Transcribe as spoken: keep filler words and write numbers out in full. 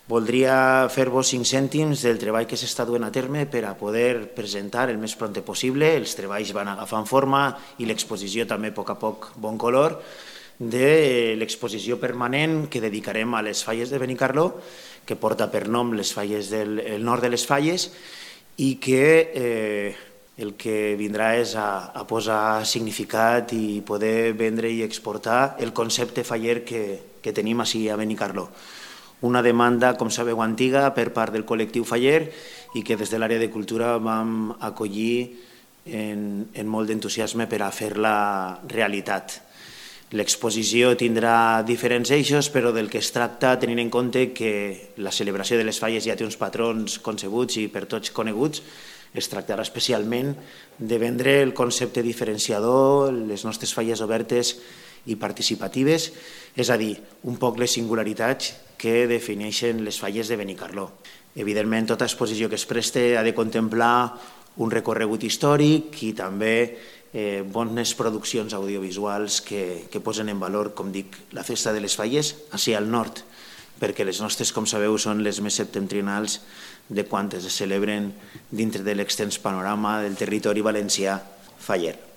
Voldria fer-vos cinc cèntims del treball que s'està duent a terme per a poder presentar el més pront possible. Els treballs van agafant forma i l'exposició també a poc a poc bon color de l'exposició permanent que dedicarem a les falles de Benicarló, que porta per nom les falles del el nord de les falles i que eh, el que vindrà és a, a posar significat i poder vendre i exportar el concepte faller que, que tenim així a Benicarló. Una demanda, com sabeu, antiga per part del col·lectiu faller i que des de l'àrea de cultura vam acollir en, en molt d'entusiasme per a fer-la realitat. L'exposició tindrà diferents eixos, però del que es tracta, tenint en compte que la celebració de les falles ja té uns patrons concebuts i per tots coneguts, es tractarà especialment de vendre el concepte diferenciador, les nostres falles obertes i participatives, és a dir, un poc les singularitats que defineixen les falles de Benicarló. Evidentment, tota exposició que es preste ha de contemplar un recorregut històric i també eh, bones produccions audiovisuals que, que posen en valor, com dic, la festa de les falles, així al nord, perquè les nostres, com sabeu, són les més septentrionals de quantes es celebren dintre de l'extens panorama del territori valencià faller.